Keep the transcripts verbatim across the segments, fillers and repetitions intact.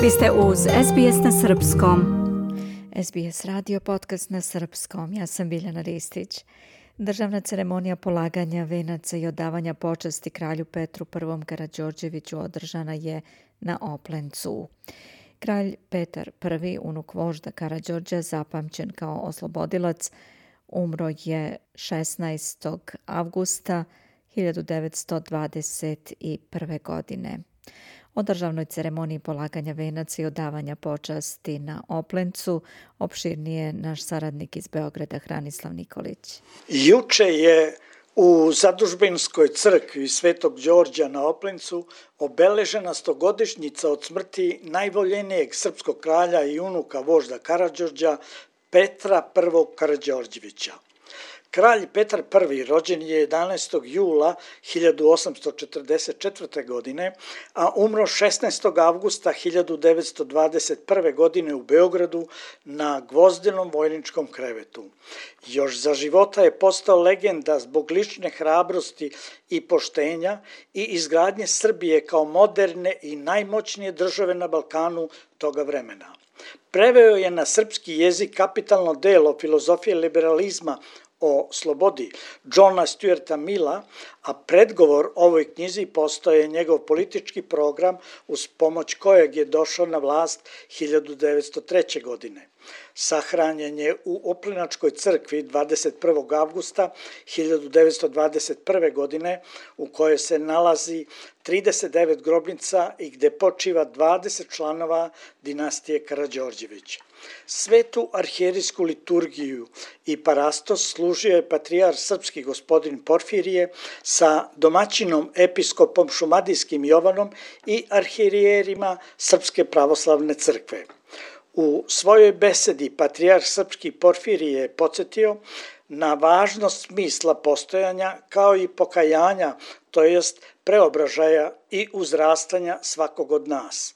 Vi ste uz es be es na srpskom. es be es radio podcast na srpskom. Ja sam Biljana Ristić. Državna ceremonija polaganja venaca i odavanja počasti kralju Petru I. Karađorđeviću održana je na Oplencu. Kralj Petar I, unuk vožda Karađorđa, zapamćen kao oslobodilac, umro je šesnaestog avgusta hiljadu devetsto dvadeset prve. godine. O državnoj ceremoniji polaganja venaca i odavanja počasti na Oplencu opširnije naš saradnik iz Beograda Hranislav Nikolić. Juče je u Zadužbinskoj crkvi Svetog Đorđa na Oplencu obeležena stogodišnjica od smrti najvoljenijeg srpskog kralja i unuka vožda Karađorđa Petra I. Karađorđevića. Kralj Petar I. rođen je jedanaestog jula hiljadu osamsto četrdeset četvrte. godine, a umro šesnaestog avgusta hiljadu devetsto dvadeset prve. godine u Beogradu na Gvozdenom vojničkom krevetu. Još za života je postao legenda zbog lične hrabrosti i poštenja i izgradnje Srbije kao moderne i najmoćnije države na Balkanu toga vremena. Preveo je na srpski jezik kapitalno delo filozofije liberalizma o slobodi Johna Stuarta Milla, a predgovor ovoj knjizi postao je njegov politički program uz pomoć kojeg je došao na vlast hiljadu devetsto treće. godine. Sahranjen je u Oplenačkoj crkvi dvadeset prvog avgusta hiljadu devetsto dvadeset prve. godine, u kojoj se nalazi trideset devet grobnica i gde počiva dvadeset članova dinastije Karađorđević. Svetu arhijerijsku liturgiju i parastos služio je patrijar srpski gospodin Porfirije sa domaćinom episkopom šumadijskim Jovanom i arhijerima Srpske pravoslavne crkve. U svojoj besedi patrijar srpski Porfirije je podsjetio na važnost smisla postojanja kao i pokajanja, to jest preobražaja i uzrastanja svakog od nas.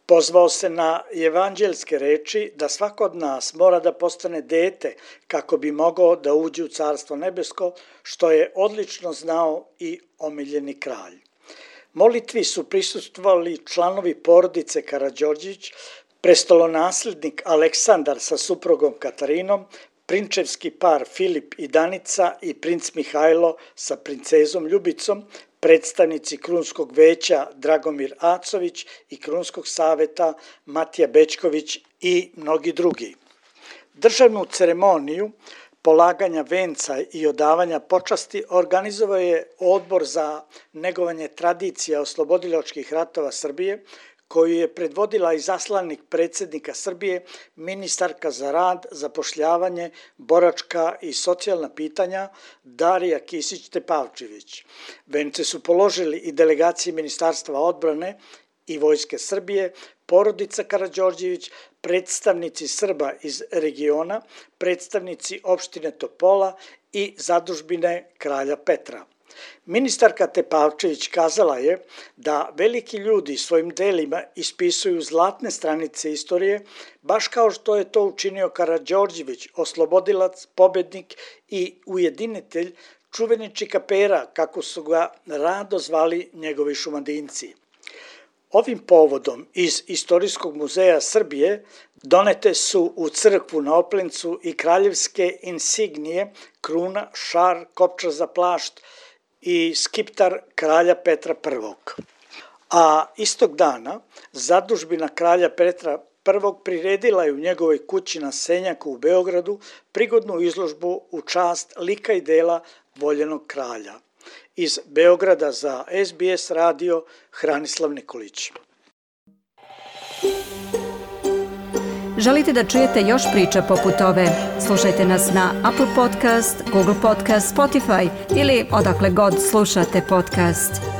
Pozvao se na evanđelske reči da svako od nas mora da postane dete kako bi mogao da uđe u Carstvo nebesko, što je odlično znao i omiljeni kralj. Molitvi su prisustvovali članovi porodice Karađorđević, prestolonaslednik Aleksandar sa suprugom Katarinom, prinčevski par Filip i Danica i princ Mihajlo sa princezom Ljubicom, predstavnici Krunskog veća Dragomir Acović i Krunskog saveta Matija Bećković i mnogi drugi. Državnu ceremoniju polaganja venca i odavanja počasti organizovao je Odbor za negovanje tradicija oslobodilačkih ratova Srbije, koju je predvodila izaslanik predsjednika Srbije, ministarka za rad, zapošljavanje, boračka i socijalna pitanja Darija Kisić-Tepavčević. Vence su položili i delegacije Ministarstva odbrane i Vojske Srbije, porodica Karađorđević, predstavnici Srba iz regiona, predstavnici opštine Topola i zadužbine kralja Petra. Ministarka Tepavčević kazala je da veliki ljudi svojim delima ispisuju zlatne stranice istorije, baš kao što je to učinio Karađorđević, oslobodilac, pobednik i ujedinitelj, čuveni čikapera, kako su ga rado zvali njegovi šumadinci. Ovim povodom iz Istorijskog muzeja Srbije donete su u crkvu na Oplencu i kraljevske insignije, kruna, šar, kopča za plašt i skiptar kralja Petra I. A istog dana zadužbina kralja Petra I. priredila je u njegovoj kući na Senjaku u Beogradu prigodnu izložbu u čast lika i dela voljenog kralja. Iz Beograda za es be es radio Hranislav Nikolić. Želite da čujete još priča poput ove? Slušajte nas na Apple Podcast, Google Podcast, Spotify ili odakle god slušate podcast.